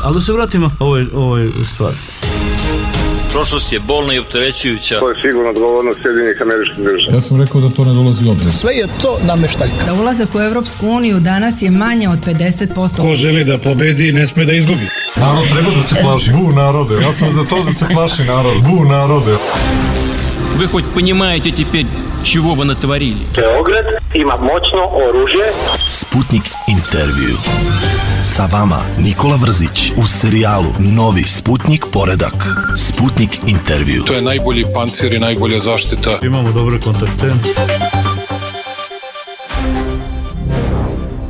Ali da se vratimo ovoj stvari. Prošlost je bolna i opterećujuća. To je sigurno odgovornost Sjedinjenih Američkih Država. Ja sam rekao da to ne dolazi u obzir. Sve je to nameštaljka. Za ulazak u Evropsku uniju danas je manje od 50%. Ko želi da pobedi, ne sme da izgubi. Narod treba da se plaši. Bu narode. Ja sam za to da se plaši narod. Bu narode. Вы хоть понимаете теперь, чего вы натворили? Beograd ima moćno oružje. Sputnik intervju. Sa vama Nikola Vrzić u serijalu Novi Sputnik poredak. Sputnik intervju. To je najbolji pancir i najbolja zaštita. Imamo dobre kontakte.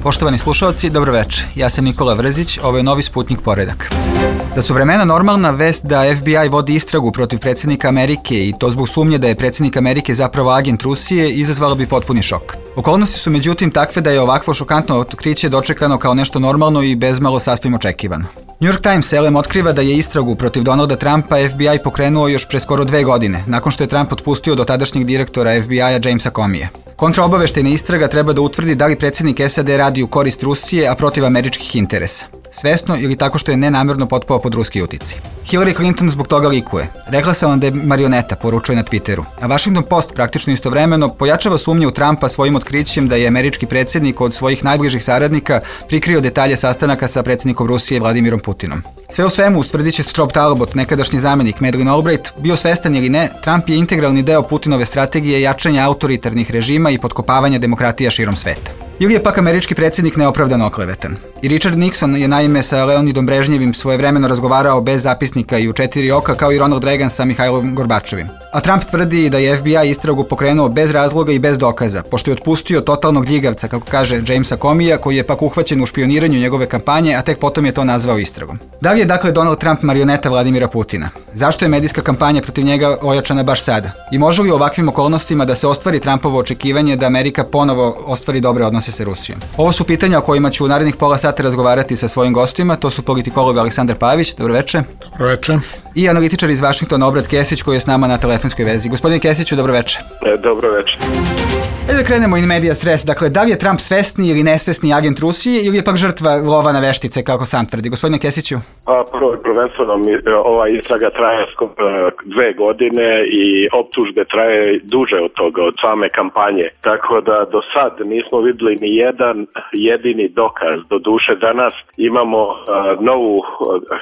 Poštovani slušalci, dobro večer. Ja sam Nikola Vrzić, ovo je Novi Sputnik poredak. Da su vremena normalna, vest da FBI vodi istragu protiv predsjednika Amerike i to zbog sumnje da je predsjednik Amerike zapravo agent Rusije izazvala bi potpuni šok. Okolnosti su međutim takve da je ovakvo šokantno otkriće dočekano kao nešto normalno i bezmalo sasvim očekivano. New York Times elem otkriva da je istragu protiv Donalda Trumpa FBI pokrenuo još pre skoro 2 godine, nakon što je Trump otpustio dotadašnjeg direktora FBI-a Jamesa Comeyja. Kontraobaveštajna istraga treba da utvrdi da li predsjednik SAD radi u korist Rusije, a protiv američkih interesa. Svesno ili tako što je nenamerno potpao pod ruski uticaj. Hillary Clinton zbog toga likuje. Rekla sam vam da je marioneta, poručuje na Twitteru. A Washington Post praktično istovremeno pojačava sumnje u Trumpa svojim otkrićem da je američki predsjednik od svojih najbližih saradnika prikrio detalje sastanaka sa predsjednikom Rusije Vladimirom Putinom. Sve u svemu, ustvrdit će Rob Talbot, nekadašnji zamenik Madeleine Albright, bio svestan ili ne, Trump je integralni deo Putinove strategije jačanja autoritarnih režima i potkopavanja demokratija širom sveta. Ili je pak američki predsjednik neopravdano oklevetan. I Richard Nixon je naime sa Leonidom Brežnjevim svojevremeno razgovarao bez zapisnika i u 4 oka kao i Ronald Reagan sa Mihajlom Gorbačovim. A Trump tvrdi da je FBI istragu pokrenuo bez razloga i bez dokaza, pošto je otpustio totalnog ljigavca, kako kaže Jamesa Comeyja, koji je pak uhvaćen u špioniranju njegove kampanje, a tek potom je to nazvao istragom. Da li je dakle Donald Trump marioneta Vladimira Putina? Zašto je medijska kampanja protiv njega ojačana baš sada? I može li u ovakvim okolnostima da se ostvari Trumpovo očekivanje da Amerika ponovo ostvari dobre odnose sa Rusijom? Ovo su pitanja o kojima ću u narednih pola sata razgovarati sa svojim gostima. To su politikolog Aleksandar Pavić, dobro večer. Dobro večer. I analitičar iz Vašingtona Obrat Kesić, koji je s nama na telefonskoj vezi. Gospodine Kesiću, dobro večer. Dobro večer. Da krenemo in medias res. Dakle, da li je Trump svesni ili nesvesni agent Rusije ili je pak žrtva lova na veštice, kako sam tvrdi? Gospodine Kesiću? Prvenstveno ova istraga traje 2 godine i optužbe traje duže od toga, od same kampanje. Tako da do sad nismo vidjeli ni jedan jedini dokaz. Doduše danas imamo novu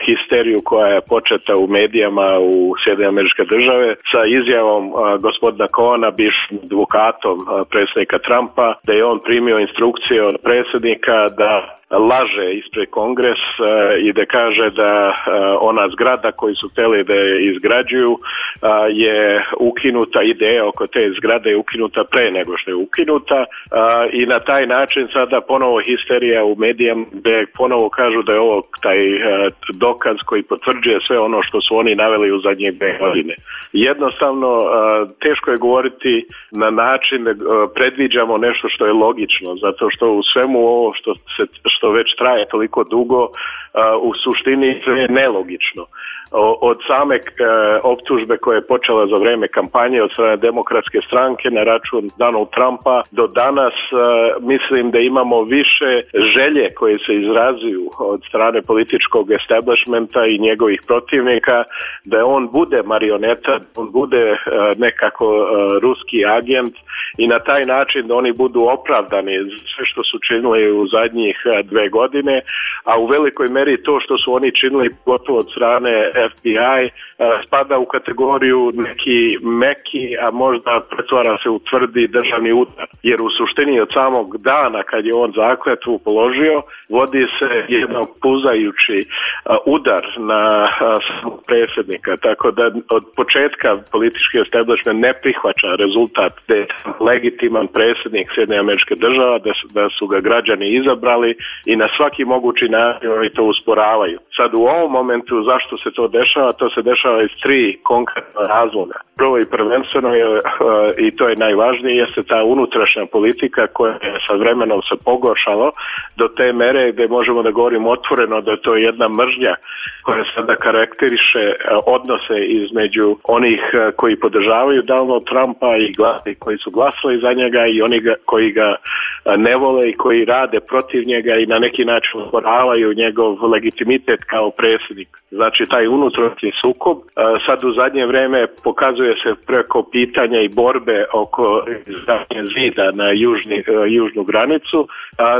histeriju koja je početa u medijama u Sjedinjenih Američke Države sa izjavom gospodina Cohena, bivšim advokatom predsjednika Trumpa, da je on primio instrukcije od predsjednika da laže ispred Kongres i da kaže da ona zgrada koju su htjeli da je izgrađuju je ukinuta, ideja oko te zgrade je ukinuta pre nego što je ukinuta i na taj način sada ponovo histerija u medijama gdje ponovo kažu da je ovo taj dokaz koji potvrđuje sve ono što su oni naveli u zadnje 2 godine. Jednostavno teško je govoriti na način da predviđamo nešto što je logično, zato što u svemu ovo što već traje toliko dugo, u suštini je nelogično. Od same optužbe koja je počela za vrijeme kampanje od strane Demokratske stranke na račun Donald Trumpa do danas mislim da imamo više želje koje se izrazuju od strane političkog establishmenta i njegovih protivnika da on bude marioneta, on bude nekako ruski agent i na taj način da oni budu opravdani sve što su činili u zadnjih 2 godine, a u velikoj meri to što su oni činili gotovo od strane FBI spada u kategoriju neki meki, a možda pretvara se u tvrdi državni udar. Jer u suštini od samog dana kad je on zakletvu položio, vodi se jedan puzajući udar na samog predsjednika. Tako da od početka politički establishment ne prihvaća rezultat da je legitiman predsjednik Sjedinjenih Američkih Država, da su ga građani izabrali i na svaki mogući način oni to usporavaju. Sad u ovom momentu zašto se to ovo dešava, to se dešava iz 3 konkretna razloga. Prvo i prvenstveno je, i to je najvažnije, jeste ta unutrašnja politika koja je sa vremenom se pogoršalo do te mere gde možemo da govorimo otvoreno da je to jedna mržnja koja sada karakteriše odnose između onih koji podržavaju Donald Trumpa i koji su glasali za njega i oni koji ga ne vole i koji rade protiv njega i na neki način osporavaju njegov legitimitet kao predsjednik. Znači taj unutrašnji sukob sad u zadnje vreme pokazuje se preko pitanja i borbe oko izgradnje zida na južnu granicu.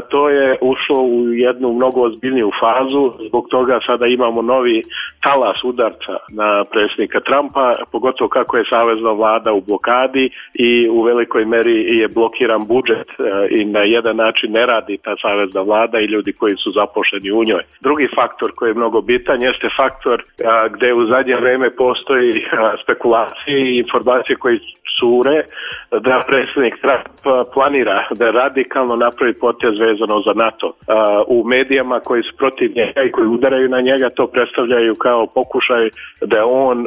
To je ušlo u jednu mnogo ozbiljniju fazu, zbog toga sada imamo novi talas udarca na predsjednika Trumpa, pogotovo kako je savezna vlada u blokadi i u velikoj meri je blokiran budžet i na jedan način ne radi ta savezna vlada i ljudi koji su zaposleni u njoj. Drugi faktor koji je mnogo bitan jeste faktor gde u zadnje vreme postoji spekulacije i informacije koji cure da predsjednik Trump planira da radikalno napravi potez vezano za NATO. U medijama koji su protiv njega i koji udaraju na njega to predstavljaju kao pokušaj da on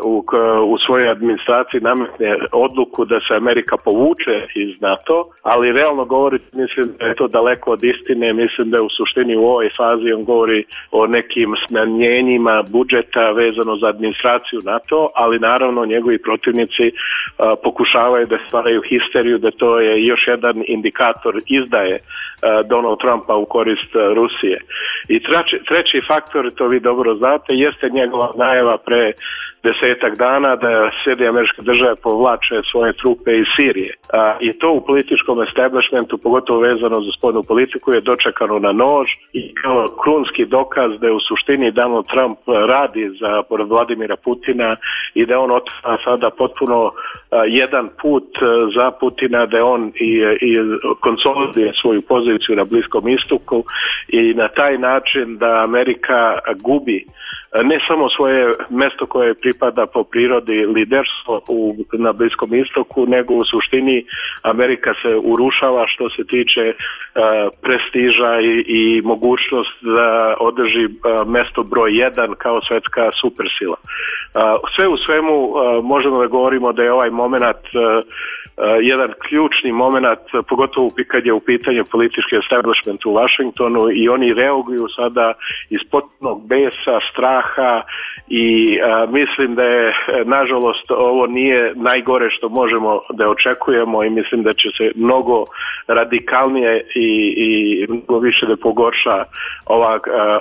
u svojoj administraciji nametne odluku da se Amerika povuče iz NATO, ali realno govori, mislim da je to daleko od istine, mislim da je u suštini u ovoj fazi on govori o nekim smanjenjima budžeta vezano za administraciju NATO, ali naravno njegovi protivnici pokušavaju da stvaraju histeriju, da to je još jedan indikator izdaje Donald Trumpa u korist Rusije. I treći faktor, to vi dobro znate, jeste njegova najava pre 10 dana da Sjedinjene Američke Države povlače svoje trupe iz Sirije. I to u političkom establishmentu, pogotovo vezano za spoljnu politiku, je dočekano na nož i kao krunski dokaz da je u suštini Donald Trump radi za Vladimira Putina i da on otvara sada potpuno jedan put za Putina, da on i konsoliduje svoju poziciju na Bliskom istoku i na taj način da Amerika gubi ne samo svoje mesto koje pripada po prirodi liderstvo na Bliskom istoku, nego u suštini Amerika se urušava što se tiče prestiža i mogućnost da održi mesto broj 1 kao svetska supersila. Sve u svemu možemo da govorimo da je ovaj moment jedan ključni moment, pogotovo kad je u pitanju politički establishment u Washingtonu i oni reaguju sada iz potpunog besa, straha i mislim da je, nažalost, ovo nije najgore što možemo da očekujemo i mislim da će se mnogo radikalnije i mnogo više da pogorša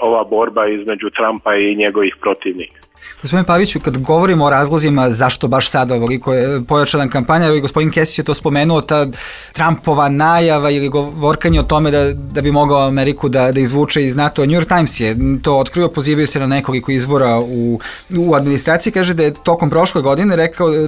ova borba između Trumpa i njegovih protivnika. Gospodine Paviću, kad govorimo o razlozima zašto baš sada ovoliko je pojačana kampanja, i gospodin Kesić je to spomenuo, ta Trumpova najava ili govorkanje o tome da bi mogao Ameriku da izvuče iz NATO. New York Times je to otkrio, pozivaju se na nekoliko izvora u administraciji, kaže da je tokom prošle godine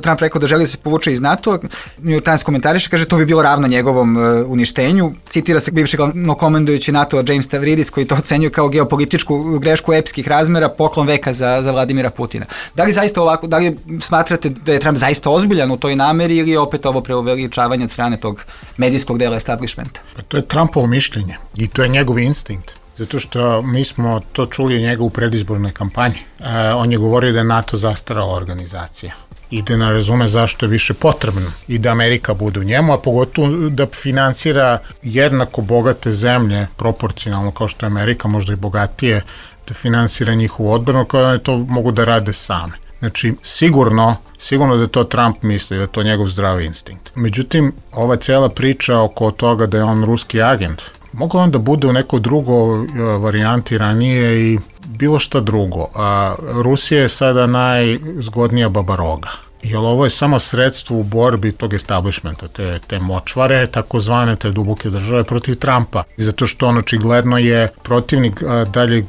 Trump rekao da želi da se povuče iz NATO. New York Times komentariše, kaže to bi bilo ravno njegovom uništenju. Citira se bivšeg komandujući NATO James Stavridis koji to ocenjuje kao geopolitičku grešku epskih razmera, poklon veka za Vladimira Putina. Da li zaista ovako, da li smatrate da je Trump zaista ozbiljan u toj nameri ili je opet ovo preuveličavanje od strane tog medijskog dela establishmenta? Pa to je Trumpovo mišljenje i to je njegov instinkt. Zato što mi smo to čuli od njega u predizbornoj kampanji. On je govorio da je NATO zastarala organizacija i da ne razume zašto je više potrebno i da Amerika bude u njemu, a pogotovo da finansira jednako bogate zemlje, proporcionalno kao što je Amerika, možda i bogatije, da finansira njihovu odbranu, koje to mogu da rade same. Znači, sigurno da to Trump misli, da je to njegov zdravi instinkt. Međutim, ova cela priča oko toga da je on ruski agent, moglo on da bude u nekoj drugoj varijanti ranije i bilo šta drugo. Rusija je sada najzgodnija babaroga. Jer ovo je samo sredstvo u borbi tog establishmenta, te močvare, takozvane te duboke države protiv Trumpa. I zato što on očigledno je protivnik daljeg,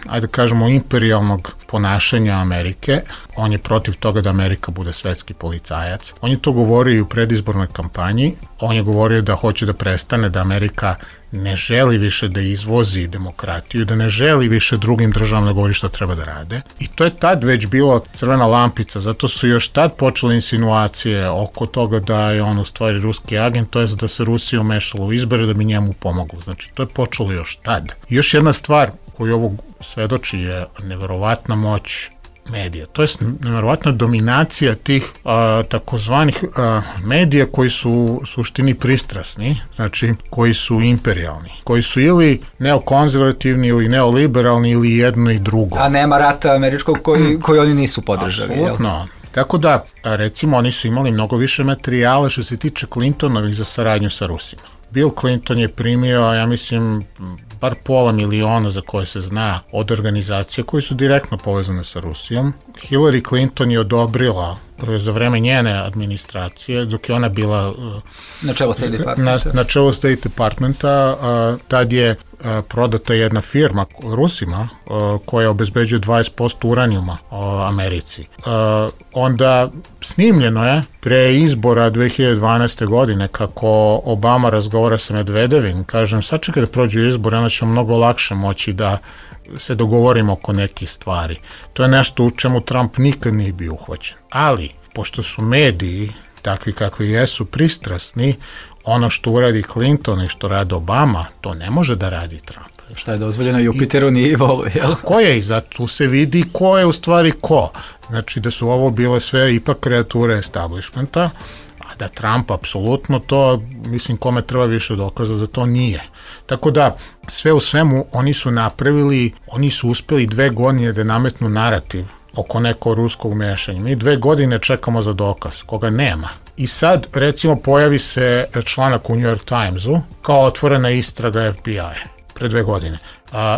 ajde kažemo, imperijalnog ponašanja Amerike. On je protiv toga da Amerika bude svetski policajac. On je to govorio i u predizbornoj kampanji. On je govorio da hoće da prestane, da Amerika ne želi više da izvozi demokratiju, da ne želi više drugim državama da govori šta treba da rade. I to je tad već bilo crvena lampica, zato su još tad počele insinuacije oko toga da je on u stvari ruski agent, to je da se Rusija umešala u izbore da bi njemu pomoglo. Znači, to je počelo još tad. I još jedna stvar koju ovo svedoči je neverovatna moć medija. To je nevjerovatna dominacija tih takozvanih medija koji su u suštini pristrasni, znači koji su imperijalni, koji su ili neokonzervativni ili neoliberalni ili jedno i drugo. A nema rata američkog koji oni nisu podržali. Apsolutno. Tako da, recimo, oni su imali mnogo više materijala što se tiče Clintonovih za saradnju sa Rusima. Bill Clinton je primio, ja mislim, bar $500,000 za koje se zna od organizacije koje su direktno povezane sa Rusijom. Hillary Clinton je odobrila za vreme njene administracije, dok je ona bila na čelu State Departmenta, tad je prodata jedna firma Rusima koja obezbeđuje 20% uranijuma Americi. Onda snimljeno je pre izbora 2012. godine kako Obama razgovara sa Medvedevim, kažem, sačekaj da prođu izbore, onda ćemo mnogo lakše moći da se dogovorimo oko nekih stvari. To je nešto u čemu Trump nikad nije bio uhvaćen. Ali, pošto su mediji takvi kakvi jesu pristrasni, ono što uradi Clinton i što radi Obama, to ne može da radi Trump. Šta je dozvoljeno Jupiteru nije vole, jel? Ko je i zato se vidi ko je u stvari ko. Znači da su ovo bile sve ipak kreature establishmenta, a da Trump apsolutno to, mislim, kome treba više dokaza da to nije. Tako da, sve u svemu, oni su napravili, oni su uspeli 2 godine da nametnu narativ oko nekog ruskog mešanja. Mi 2 godine čekamo za dokaz, koga nema. I sad, recimo, pojavi se članak u New York Timesu kao otvorena istraga FBI-a pre 2 godine.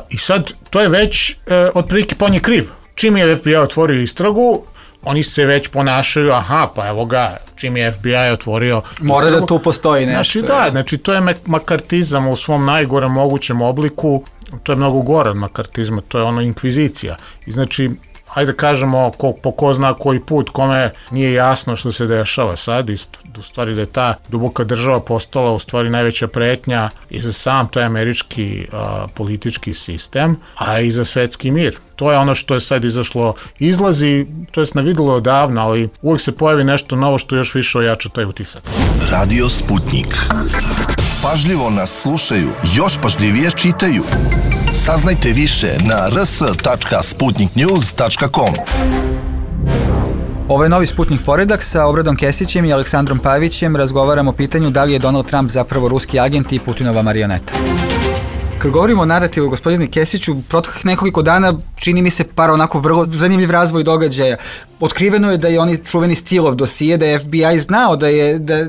I sad, to je već otprilike pa on je kriv. Čim je FBI otvorio istragu, oni se već ponašaju, pa evo ga, čim je FBI otvorio mora istragu, da tu postoji Znači nešto. znači to je makartizam u svom najgorem mogućem obliku, to je mnogo gore od makartizma, to je ono inkvizicija. I znači, hajde kažemo, po ko zna koji put, kome nije jasno što se dešava sad, i u stvari da je ta duboka država postala u stvari najveća pretnja i za sam taj američki politički sistem, a i za svetski mir. To je ono što je sad izlazi, to je se navidelo odavno, ali uvijek se pojavi nešto novo što još više ojača taj utisak. Radio Sputnik. Pažljivo nas slušaju, još pažljivije čitaju. Saznajte više na rs.sputniknews.com. Ovo je novi Sputnik poredak sa Obradom Kesićem i Aleksandrom Pavićem. Razgovaramo o pitanju da li je Donald Trump zapravo ruski agent i Putinova marioneta. Kad govorimo o narativu, gospodine Kesiću, proteklih nekoliko dana čini mi se par onako vrlo zanimljiv razvoj događaja. Otkriveno je da je oni čuveni Steeleov dosije, da je FBI znao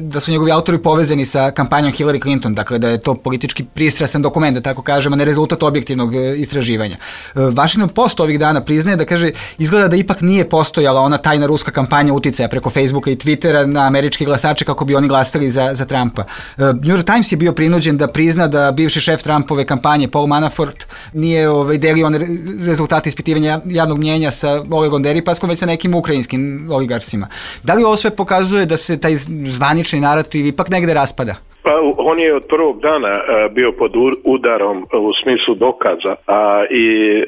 da su njegovi autori povezani sa kampanjom Hillary Clinton, dakle da je to politički pristrasan dokument, da tako kažemo, ne rezultat objektivnog istraživanja. Washington Post ovih dana priznaje da kaže, izgleda da ipak nije postojala ona tajna ruska kampanja uticaja preko Facebooka i Twittera na američke glasače kako bi oni glasali za Trumpa. New York Times je bio prinuđen da prizna da bivši šef Trumpove kampanje Paul Manafort nije delio rezultate ispitivanja javnog mnjenja sa Olegom Deripaskom, već sa nekim ukrajinskim oligarsima. Da li ovo sve pokazuje da se taj zvanični narativ ipak negde raspada? Pa on je od prvog dana bio pod udarom u smislu dokaza i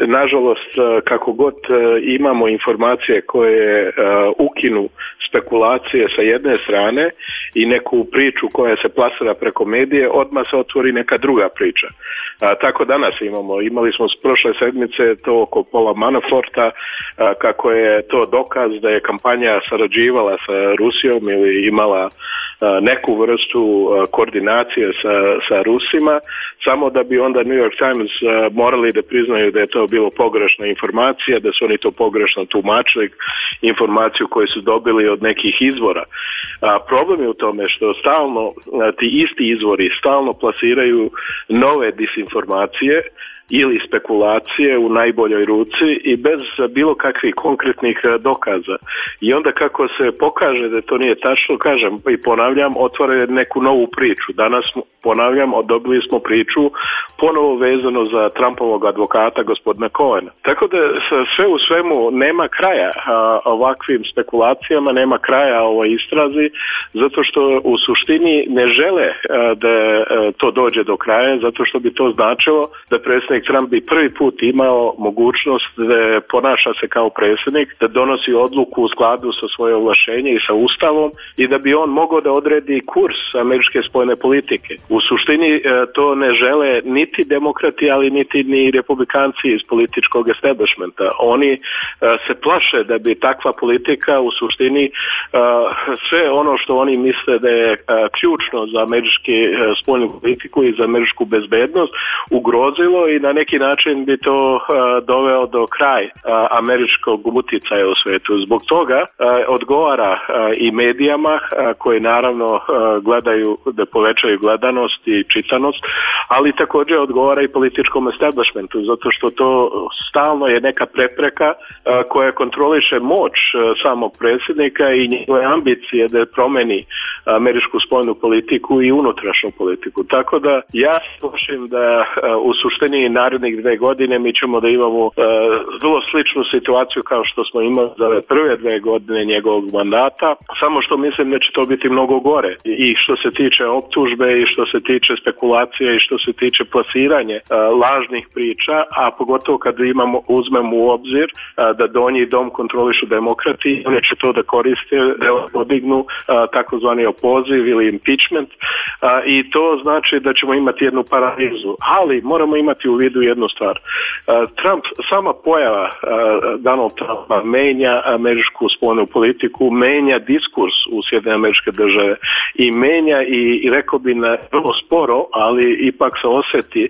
nažalost kako god imamo informacije koje ukinu spekulacije sa jedne strane i neku priču koja se plasira preko medije, odmah se otvori neka druga priča. Tako danas imali smo s prošle sedmice to oko Paula Manaforta, kako je to dokaz da je kampanja sarađivala sa Rusijom ili imala neku vrstu koordinacije sa Rusima, samo da bi onda New York Times morali da priznaju da je to bilo pogrešna informacija, da su oni to pogrešno tumačili, informaciju koju su dobili od nekih izvora. Problem je u tome što stalno ti isti izvori stalno plasiraju nove disinformacije ili spekulacije u najboljoj ruci i bez bilo kakvih konkretnih dokaza. I onda kako se pokaže da to nije tačno, kažem i ponavljam, otvore neku novu priču. Danas, ponavljam, dobili smo priču ponovo vezano za Trumpovog advokata gospodina Cohena. Tako da sve u svemu nema kraja ovakvim spekulacijama, nema kraja ovoj istrazi, zato što u suštini ne žele da to dođe do kraja, zato što bi to značilo da predsjednik predsjednik Trump bi prvi put imao mogućnost da ponaša se kao predsjednik, da donosi odluku u skladu sa svoje ovlašenje i sa Ustavom i da bi on mogao da odredi kurs američke spoljne politike. U suštini to ne žele niti demokrati, ali niti ni republikanci iz političkog establishmenta. Oni se plaše da bi takva politika u suštini sve ono što oni misle da je ključno za američku spoljnu politiku i za američku bezbednost ugrozilo i na neki način bi to doveo do kraja američkog uticaja u svetu. Zbog toga odgovara i medijama koji naravno gledaju da povećaju gledanost i čitanost, ali također odgovara i političkom establishmentu, zato što to stalno je neka prepreka koja kontroliše moć samog predsjednika i njegove ambicije da promeni američku spoljnu politiku i unutrašnju politiku. Tako da ja slušam da u suštini narednih 2 godine mi ćemo da imamo vrlo sličnu situaciju kao što smo imali za ove prve 2 godine njegovog mandata, samo što mislim da će to biti mnogo gore. I što se tiče optužbe i što se tiče spekulacije i što se tiče plasiranje lažnih priča, a pogotovo kad uzmemo u obzir da donji dom kontrolišu demokrati, oni će to da koriste, da podignu takozvani opoziv ili impeachment i to znači da ćemo imati jednu paralizu. Ali moramo imati u vidu jednu stvar. Sama pojava Donald Trumpa menja američku spoljnu politiku, menja diskurs u Sjedinjene Američke Države i menja i rekao bi vrlo sporo, ali ipak se osjeti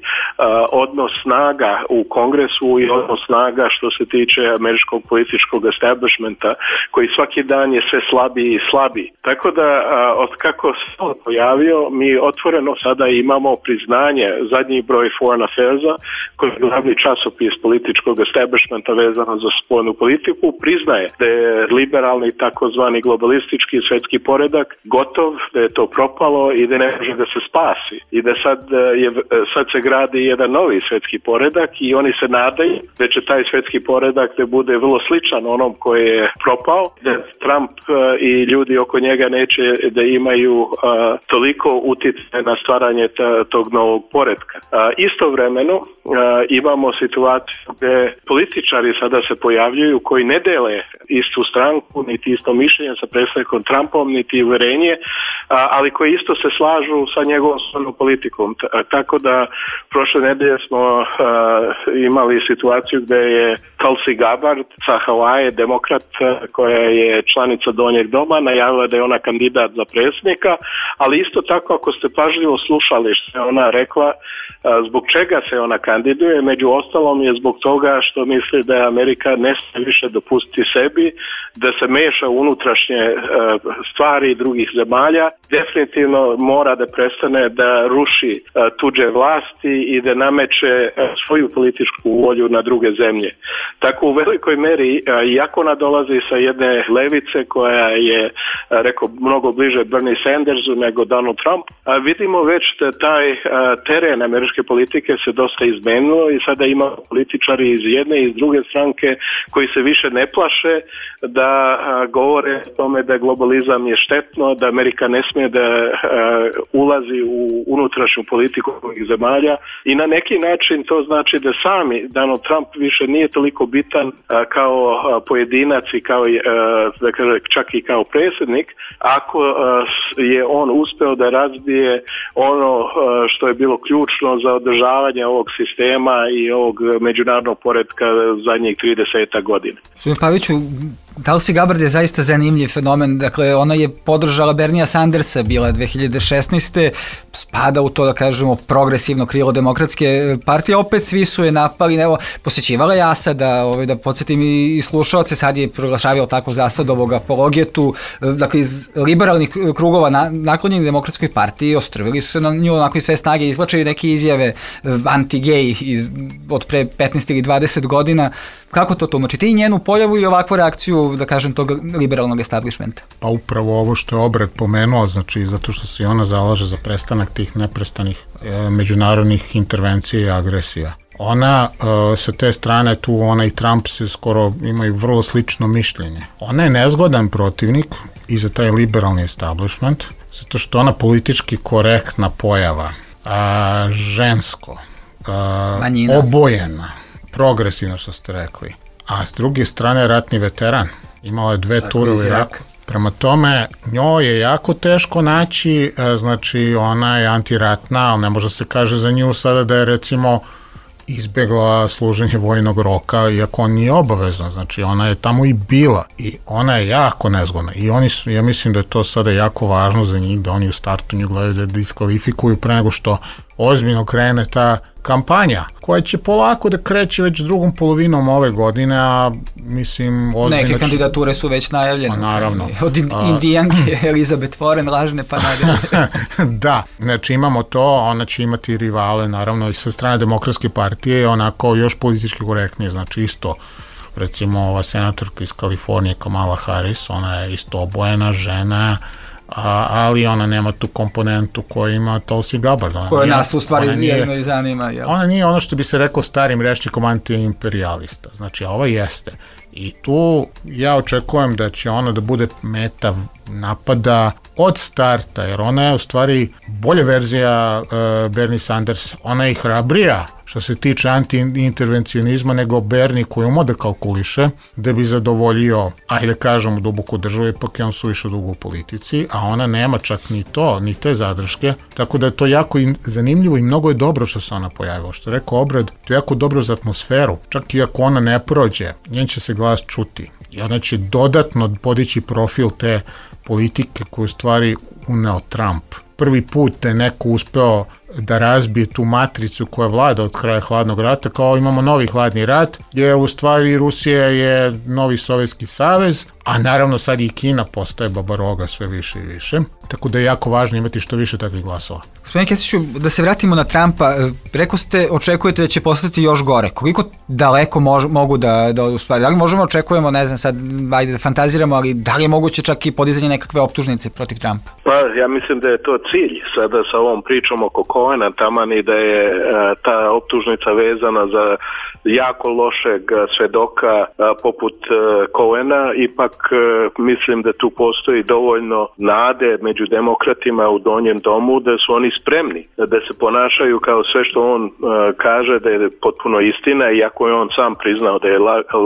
odnos snaga u Kongresu i odnos snaga što se tiče američkog političkog establishmenta koji svaki dan je sve slabiji i slabiji. Tako da od kako se on pojavio, mi otvoreno sada imamo priznanje, zadnji broj Foreign Affairs-a, koji je glavni časopis političkog establishmenta vezano za spoljnu politiku, priznaje da je liberalni takozvani globalistički svjetski poredak gotov, da je to propalo i da ne može da se spasi. I da sad se gradi jedan novi svjetski poredak i oni se nadaju da će taj svjetski poredak da bude vrlo sličan onom koji je propao, da Trump i ljudi oko njega neće da imaju toliko utjecaja na stvaranje tog novog poretka. Istovremeno imamo situaciju gdje političari sada se pojavljuju koji ne dele istu stranku, niti isto mišljenje sa predsjednikom Trumpom, niti uverenje, ali koji isto se slažu sa njegovom spoljnom politikom. Tako da prošle nedelje smo imali situaciju gdje je Tulsi Gabbard sa Havaje, demokrat koja je članica Donjeg doma, najavila da je ona kandidat za predsjednika, ali isto tako ako ste pažljivo slušali što je ona rekla, zbog čega se ona kandiduje, među ostalom je zbog toga što misli da Amerika ne smije više dopustiti sebi da se meša u unutrašnje stvari drugih zemalja, definitivno mora da prestane da ruši tuđe vlasti i da nameće svoju političku volju na druge zemlje. Tako u velikoj meri, iako ona dolazi sa jedne levice koja je, rekao, mnogo bliže Bernie Sandersu nego Donald Trump, vidimo već da taj teren američke politike se dosta izmenilo i sada ima političari iz jedne i iz druge stranke koji se više ne plaše da govore o tome da globalizam je štetno, da Amerika ne smije da ulazi u unutrašnju politiku ovih zemalja i na neki način to znači da sami Donald Trump više nije toliko bitan kao pojedinac i kao, čak i kao predsjednik, ako je on uspeo da razbije ono što je bilo ključno za održavanje ovog sistema i ovog međunarodnog poretka zadnjih 30 godina. Gospodin Paviću, Tulsi Gabbard je zaista zanimljiv fenomen, dakle ona je podržala Bernia Sandersa, bila je 2016. spada u to, da kažemo, progresivno krilo demokratske partije, opet svi su je napali, evo, posjećivala je Asada, da podsjetim i slušalce, sad je proglašavio tako za Asadovog apologetu, dakle iz liberalnih krugova naklonjeni demokratskoj partiji, ostrvili su se na nju, onako iz sve snage izvlačili neke izjave anti-gay od pre 15 ili 20 godina. Kako to tumačite i njenu pojavu i ovakvu reakciju, da kažem, tog liberalnog establishmenta? Pa upravo ovo što je Obred pomenuo, znači zato što se ona zalaže za prestanak tih neprestanih međunarodnih intervencija i agresija. Ona sa te strane tu, ona i Trump se skoro imaju vrlo slično mišljenje. Ona je nezgodan protivnik i za taj liberalni establishment, zato što ona politički korektna pojava, žensko, obojena, progresivno što ste rekli, a s druge strane ratni veteran, imala je 2 ture u Iraku. Prema tome, njoj je jako teško naći, znači ona je antiratna, ali ne može se kaže za nju sada da je recimo izbjegla služenje vojnog roka, iako on nije obavezan, znači ona je tamo i bila i ona je jako nezgodna i oni su, ja mislim da je to sada jako važno za njih, da oni u startu nju gledaju da diskvalifikuju pre nego što ozbiljno krene ta kampanja, koja će polako da kreće već drugom polovinom ove godine, a mislim ozbiljno... Neke kandidature su već najavljene. Naravno. Od Indijanke Elizabeth Warren, lažne pa nadalje. Da, znači imamo to, ona će imati rivale, naravno i sa strane Demokratske partije, onako još politički korektnije, znači isto, recimo ova senatorka iz Kalifornije, Kamala Harris, ona je isto obojena žena, ali ona nema tu komponentu koju ima Tulsi Gabbard. Koja nas u stvari jedno i zanima. Jel? Ona nije ono što bi se rekao starim rečnikom anti-imperialista. Znači, ova jeste. I tu ja očekujem da će ona da bude meta napada od starta, jer ona je u stvari bolja verzija Bernie Sanders. Ona je i hrabrija što se tiče anti-intervencionizma nego Bernie koji umo da kalkuliše da bi zadovoljio, ajde kažemo, duboku državu, ipak je on suviše dugo u politici, a ona nema čak ni to, ni te zadrške, tako da je to jako zanimljivo i mnogo je dobro što se ona pojavila. Što je rekao Obrad, to je jako dobro za atmosferu, čak i ako ona ne prođe, njen će se glas čuti i ona će dodatno podići profil te politike koju stvari uneo Trump. Prvi put je neko uspeo da razbije tu matricu koja vlada od kraja hladnog rata, kao imamo novi hladni rat, jer u stvari Rusija je novi Sovjetski savez, a naravno sad i Kina postaje babaroga sve više i više, tako da je jako važno imati što više takvih glasova. Gospodin Kesiću, da se vratimo na Trumpa, rekao ste, očekujete da će postati još gore. Koliko daleko mogu da u stvari, da li možemo očekujemo, ne znam sad, ajde da fantaziramo, ali da li je moguće čak i podizanje nekakve optužnice protiv Trumpa? Pa ja mislim da je to cilj sada sa ovom pričom oko Cohena, taman i da je ta optužnica vezana za jako lošeg svedoka poput Cohena, ipak mislim da tu postoji dovoljno nade među demokratima u donjem domu da su oni spremni da se ponašaju kao sve što on kaže da je potpuno istina, iako je on sam priznao da je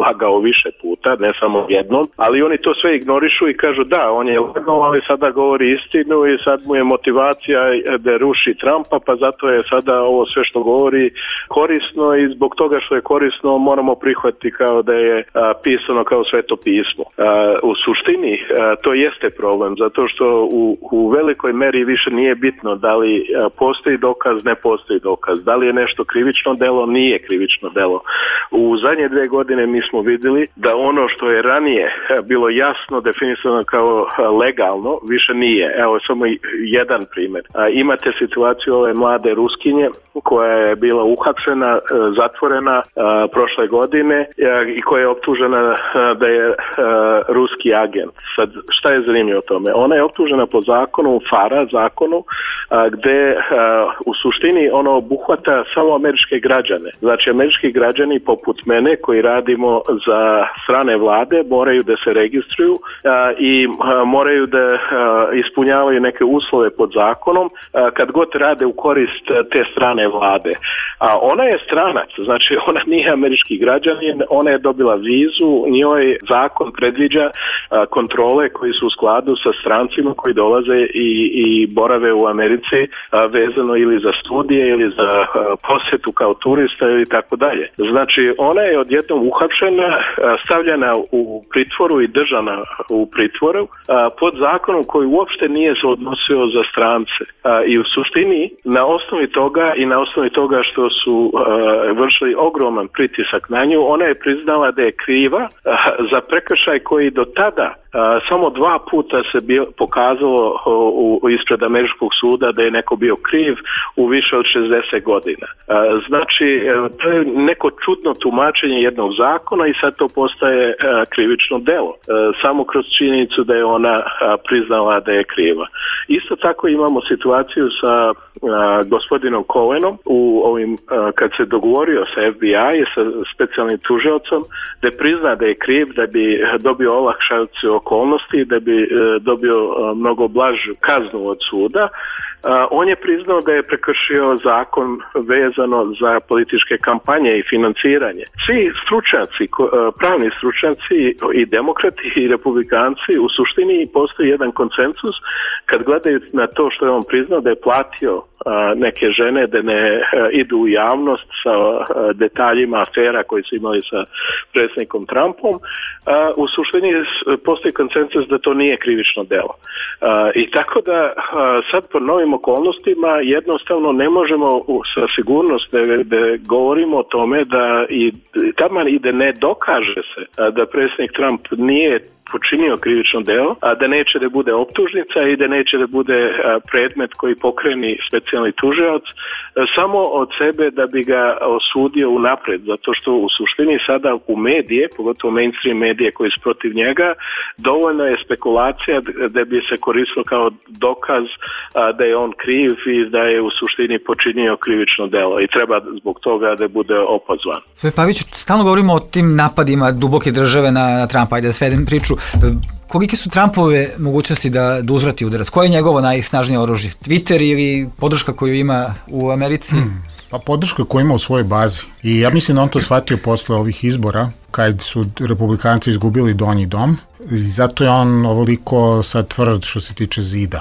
lagao više puta, ne samo jednom, ali oni to sve ignorišu i kažu da, on je lagao, ali sada govori istinu i sad mu je motivacija da ruši Trumpa, pa zato je sada ovo sve što govori korisno i zbog toga što je korisno moramo prihvatiti kao da je pisano kao sveto pismo. U suštini to jeste problem, zato što u velikoj meri više nije bitno da li postoji dokaz, ne postoji dokaz, da li je nešto krivično delo, nije krivično delo. U zadnje 2 godine mi smo vidjeli da ono što je ranije bilo jasno definisano kao legalno, više nije. Evo samo jedan primjer. Imate situaciju ove mlade Ruskinje koja je bila uhapšena, zatvorena prošle godine i koja je optužena da je ruski agent. Sad, šta je zanimljivo o tome? Ona je optužena po zakonu, FARA zakonu, gde u suštini ono obuhvata samo američke građane. Znači, američki građani poput mene koji radimo za strane vlade moraju da se registruju i moraju da ispunjavaju neke uslove pod zakonom kad god rade u korist te strane vlade. A ona je stranac, znači ona nije američki građanin, ona je dobila vizu, njoj zakon predviđa kontrole koji su u skladu sa strancima koji dolaze i borave u Americi vezano ili za studije ili za posjetu kao turista ili tako dalje. Znači ona je odjednom uhapšena, stavljena u pritvoru i držana u pritvoru pod zakonom koji uopšte nije se odnosio za strance. I u suštini na osnovi toga i na osnovi toga što su vršili ogroman pritisak na nju, ona je priznala da je kriva za prekršaj koji do tada samo 2 puta se pokazalo ispred američkog suda da je neko bio kriv u više od 60 godina. Znači, to je neko čudno tumačenje jednog zakona i sad to postaje krivično delo. Samo kroz činjenicu da je ona priznala da je kriva. Isto tako imamo situaciju sa gospodinom Cohenom kad se dogovorio sa FBI, sa specijalnim tužiocom, da prizna da je kriv, da bi dobio olakšicu okolnosti, da bi dobio mnogo blažu kaznu od suda. On je priznao da je prekršio zakon vezano za političke kampanje i financiranje. Svi stručnjaci, pravni stručnjaci i demokrati i republikanci, u suštini postoji jedan konsensus kad gledaju na to što je on priznao da je platio neke žene da ne idu u javnost sa detaljima afera koji su imali sa predsjednikom Trumpom. U suštini postoji konsensus da to nije krivično delo. I tako da sad po novim okolnostima jednostavno ne možemo sa sigurnost da govorimo o tome da i taman i da ne dokaže se da predsjednik Trump nije počinio krivično delo, a da neće da bude optužnica i da neće da bude predmet koji pokreni specijalni tužilac samo od sebe da bi ga osudio unapred, zato što u suštini sada u medije, pogotovo mainstream medije koji su protiv njega, dovoljno je spekulacija da bi se koristilo kao dokaz da je on kriv i da je u suštini počinio krivično delo i treba zbog toga da bude opozvan. Sve Paviću, stalno govorimo o tim napadima duboke države na Trumpa, ajde da svedem priču. Kolike su Trumpove mogućnosti da uzvrati udarac? Koje je njegovo najsnažnije oružje? Twitter ili podrška koju ima u Americi? Pa podrška koju ima u svojoj bazi. I ja mislim da on to shvatio posle ovih izbora, kad su republikanci izgubili donji dom. I zato je on ovoliko sad tvrd što se tiče zida.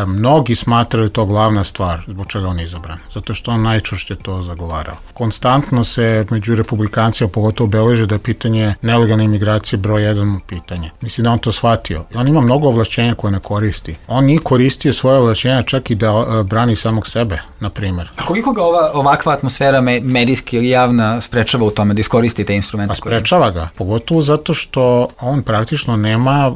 Mnogi smatraju to glavna stvar zbog čega on je izabran, zato što on najčešće to zagovarao. Konstantno se među republikancima pogotovo beleže da je pitanje nelegalne imigracije broj 1 pitanje. Mislim da on to shvatio. I on ima mnogo ovlašćenja koje ne koristi. On nije koristio svoje ovlašćenja čak i da brani samog sebe, na primjer. A koliko ga ovakva atmosfera medijski ili javna sprečava u tome da iskoristi te instrumente? A sprečava ga, pogotovo zato što on praktično nema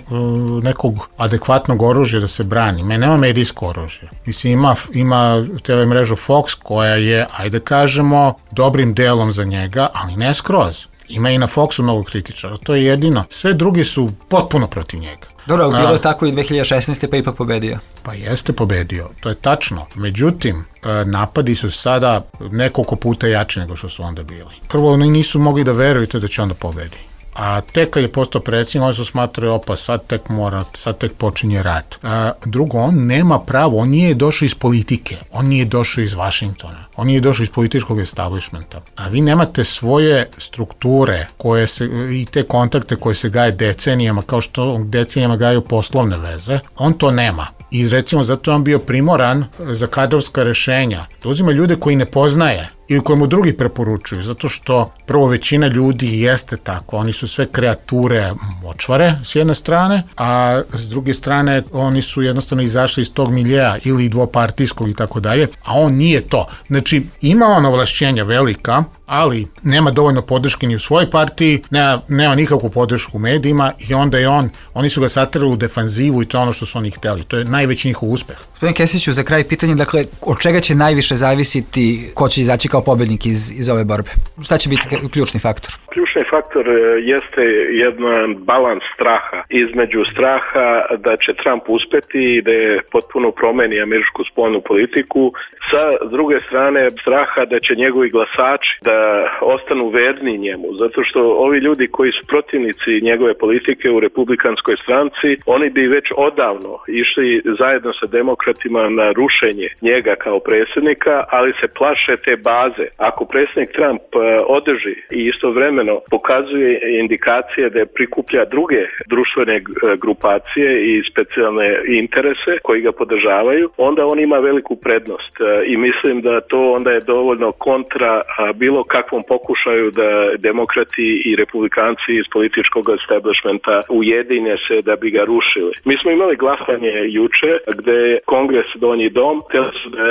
nekog adekvatnog oružja da se brani. Nema medijsko oružje. Mislim, ima TV mrežu Fox koja je, ajde kažemo, dobrim delom za njega, ali ne skroz. Ima i na Foxu mnogo kritičara, to je jedino. Sve drugi su potpuno protiv njega. Dobro, bilo je tako i 2016. pa ipak pobedio. Pa jeste pobedio, to je tačno. Međutim, napadi su sada nekoliko puta jači nego što su onda bili. Prvo, oni nisu mogli da verujete da će onda pobedi. A tek kad je postao predsjednik, oni su smatrali, sad tek počinje rat. Drugo, on nema pravo, on nije došao iz politike, on nije došao iz Vašingtona, on nije došao iz političkog establishmenta. A vi nemate svoje strukture i te kontakte koje se gaje decenijama, kao što decenijama gaju poslovne veze, on to nema. I recimo zato je on bio primoran za kadrovska rešenja, da uzima ljude koji ne poznaje ili koje mu drugi preporučuju, zato što prvo većina ljudi jeste tako, oni su sve kreature močvare s jedne strane, a s druge strane oni su jednostavno izašli iz tog miljeja ili dvopartijskog i tako dalje, a on nije to. Znači, ima on ovlašćenja velika, ali nema dovoljno podrške ni u svojoj partiji, nema nikakvu podršku u medijima i onda je oni su ga saterali u defanzivu i to je ono što su oni hteli. To je najveći njihov uspeh. Gospodin Kesiću, za kraj pitanje, dakle, od čega će najviše zavisiti ko će izaći kao pobednik iz ove borbe? Šta će biti ključni faktor? Ključni faktor jeste jedan balans straha između straha da će Trump uspeti i da je potpuno promeni američku spoljnu politiku, sa druge strane straha da će njegovi glasači da ostanu verni njemu, zato što ovi ljudi koji su protivnici njegove politike u republikanskoj stranci, oni bi već odavno išli zajedno sa demokratima na rušenje njega kao predsjednika, ali se plaše te baze. Ako predsjednik Trump održi i istovremeno pokazuje indikacije da prikuplja druge društvene grupacije i specijalne interese koji ga podržavaju, onda on ima veliku prednost i mislim da to onda je dovoljno kontra bilo kakvom pokušaju da demokrati i republikanci iz političkog establishmenta ujedine se da bi ga rušili. Mi smo imali glasanje juče gde je Kongres donji dom htjeli su da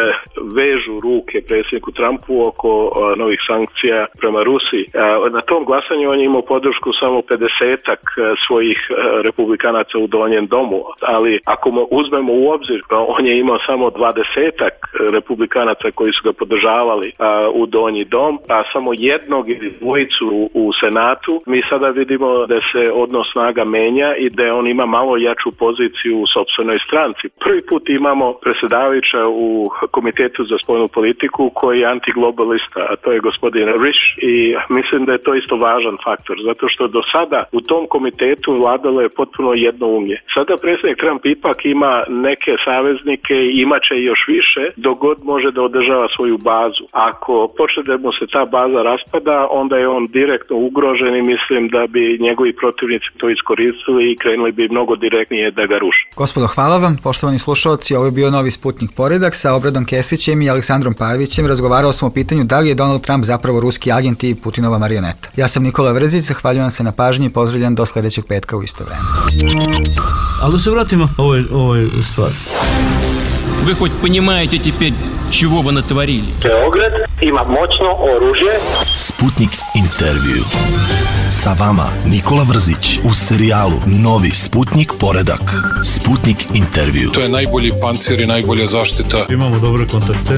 vežu ruke predsjedniku Trumpu oko novih sankcija prema Rusiji. Na tom glasanju on je imao podršku samo 50-ak svojih republikanaca u donjem domu, ali ako uzmemo u obzir on je imao samo 20-ak republikanaca koji su ga podržavali u donji dom, a samo jednog ili dvojicu u Senatu, mi sada vidimo da se odnos snaga menja i da on ima malo jaču poziciju u sopstvenoj stranci. Prvi put imamo predsjedavajuća u Komitetu za spoljnu politiku koji je antiglobalista, a to je gospodin Risch i mislim da je to isto važan faktor, zato što do sada u tom komitetu vladalo je potpuno jednoumlje. Sada predsjednik Trump ipak ima neke saveznike i imaće još više dok god može da održava svoju bazu. Ako počne da mu se ta baza raspada, onda je on direktno ugrožen i mislim da bi njegovi protivnici to iskoristili i krenuli bi mnogo direktnije da ga ruše. Gospodo, hvala vam. Poštovani slušalci, ovo je bio Novi Sputnik Poredak sa Obradom Kesićem i Aleksandrom Pavićem. Razgovarao sam o pitanju da li je Donald Trump zapravo ruski agent i Putinova marioneta. Ja sam Nikola Vrzić, zahvaljujem se na pažnji i pozdravljam do sljedećeg petka u isto vreme. Ali da se vratimo ovoj stvari. Вы хоть понимаете теперь, чего вы натворили? Beograd ima moćno oružje. Sputnik intervju. Sa vama Nikola Vrzić u serijalu Novi Sputnik Poredak. Sputnik intervju. To je najbolji pancir i najbolja zaštita. Imamo dobre kontakte.